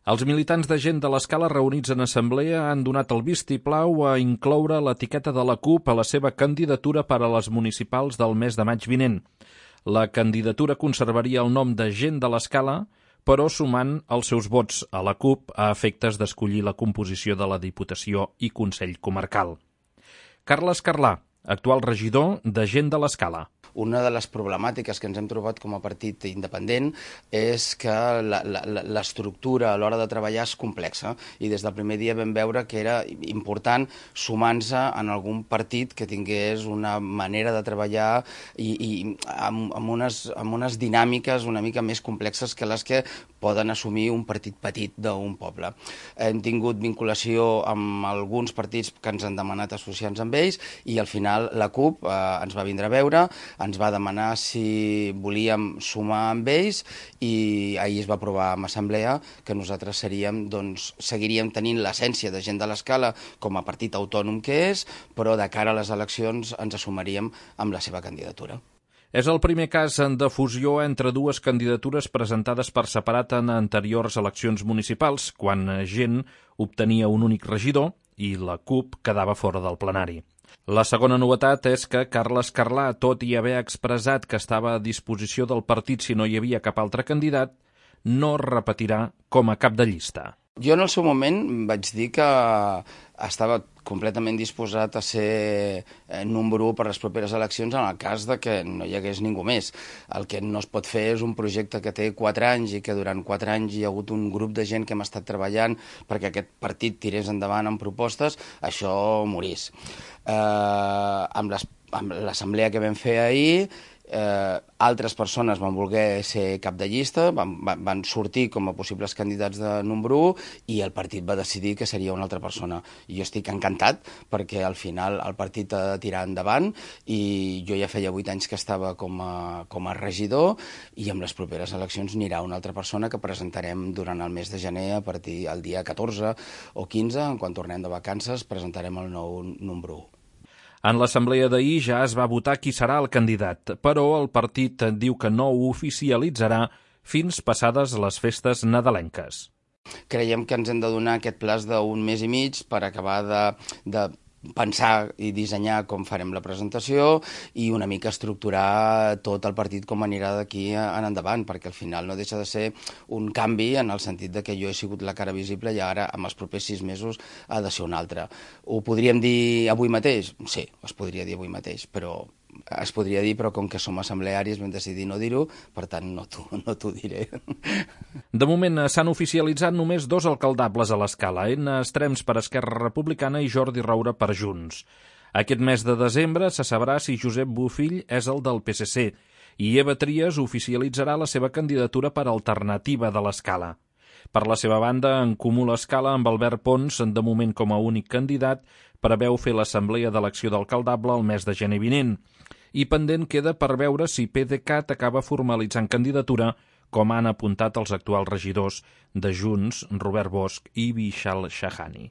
Els militants de Gent de l'Escala reunits en assemblea han donat el vistiplau a incloure l'etiqueta de la CUP a la seva candidatura per a les municipals del mes de maig vinent. La candidatura conservaria el nom de Gent de l'Escala, però sumant els seus vots a la CUP a efectes d'escollir la composició de la Diputació i Consell Comarcal. Carles Carlà, actual regidor de Gent de l'Escala. Una de les problemàtiques que ens hem trobat com a partit independent és que l'estructura a l'hora de treballar és complexa i des del primer dia vam veure que era important sumar-se en algun partit que tingués una manera de treballar i amb unes dinàmiques una mica més complexes que les que poden assumir un partit petit d'un poble. Hem tingut vinculació amb alguns partits que ens han demanat associar-nos amb ells i al final la CUP ens va vindre a veure, ens va demanar si volíem sumar amb ells i ahir es va aprovar en assemblea que nosaltres seguiríem tenint l'essència de Gent de l'Escala com a partit autònom que és, però de cara a les eleccions ens assumaríem amb la seva candidatura. És el primer cas de fusió entre dues candidatures presentades per separat en anteriors eleccions municipals, quan Gent obtenia un únic regidor i la CUP quedava fora del plenari. La segona novetat és que Carles Carlà, tot i haver expressat que estava a disposició del partit si no hi havia cap altre candidat, no repetirà com a cap de llista. Jo en el seu moment vaig dir que estava completament disposat a ser número 1 per les properes eleccions en el cas de que no hi hagués ningú més. El que no es pot fer és un projecte que té 4 anys i que durant 4 anys hi ha hagut un grup de gent que hem estat treballant perquè aquest partit tirés endavant amb propostes, això morís. Amb l'assemblea que vam fer ahir, altres persones van voler ser cap de llista, van sortir com a possibles candidats de número 1 i el partit va decidir que seria una altra persona. I jo estic encantat perquè al final el partit ha de tirar endavant i jo ja feia 8 anys que estava com a regidor i amb les properes eleccions anirà una altra persona que presentarem durant el mes de gener a partir del dia 14 o 15, quan tornem de vacances, presentarem el nou número 1. En l'assemblea d'ahir ja es va votar qui serà el candidat, però el partit diu que no ho oficialitzarà fins passades les festes nadalenques. Creiem que ens hem de donar aquest plaç d'un mes i mig per acabar de pensar i dissenyar com farem la presentació i una mica estructurar tot el partit com anirà d'aquí en endavant, perquè al final no deixa de ser un canvi en el sentit de que jo he sigut la cara visible i ara amb els propers 6 mesos ha de ser una altra. Ho podríem dir avui mateix? Sí, es podria dir avui mateix, però com que som assemblearis vam decidir no dir-ho, per tant no t'ho diré. De moment s'han oficialitzat només 2 alcaldables a l'Escala, Enna Estrems per Esquerra Republicana i Jordi Roura per Junts. Aquest mes de desembre se sabrà si Josep Bofill és el del PSC i Eva Trias oficialitzarà la seva candidatura per Alternativa de l'Escala. Per la seva banda, En Comú l'Escala, amb Albert Pons, de moment com a únic candidat, preveu fer l'assemblea d'elecció d'alcaldable el mes de gener vinent. I pendent queda per veure si PDeCAT acaba formalitzant candidatura, com han apuntat els actuals regidors de Junts, Robert Bosch i Vishal Shahani.